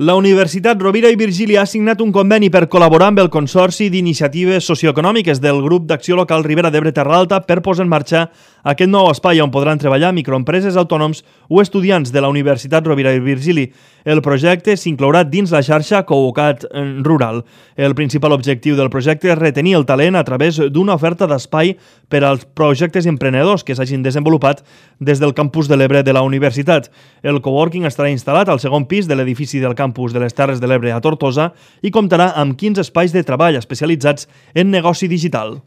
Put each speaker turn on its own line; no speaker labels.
La Universitat Rovira i Virgili ha signat un conveni per col·laborar amb el Consorci d'Iniciatives Socioeconòmiques del Grup d'Acció Local Ribera d'Ebre Terra Alta per posar en marxa aquest nou espai on podran treballar microempreses, autònoms o estudiants de la Universitat Rovira i Virgili. El projecte s'inclourà dins la xarxa Covocat Rural. El principal objectiu del projecte és retenir el talent a través d'una oferta d'espai per als projectes emprenedors que s'hagin desenvolupat des del campus de l'Ebre de la universitat. El coworking estarà instal·lat al segon pis de l'edifici del campus de les Terres de l'Ebre a Tortosa i comptarà amb 15 espais de treball especialitzats en negoci digital.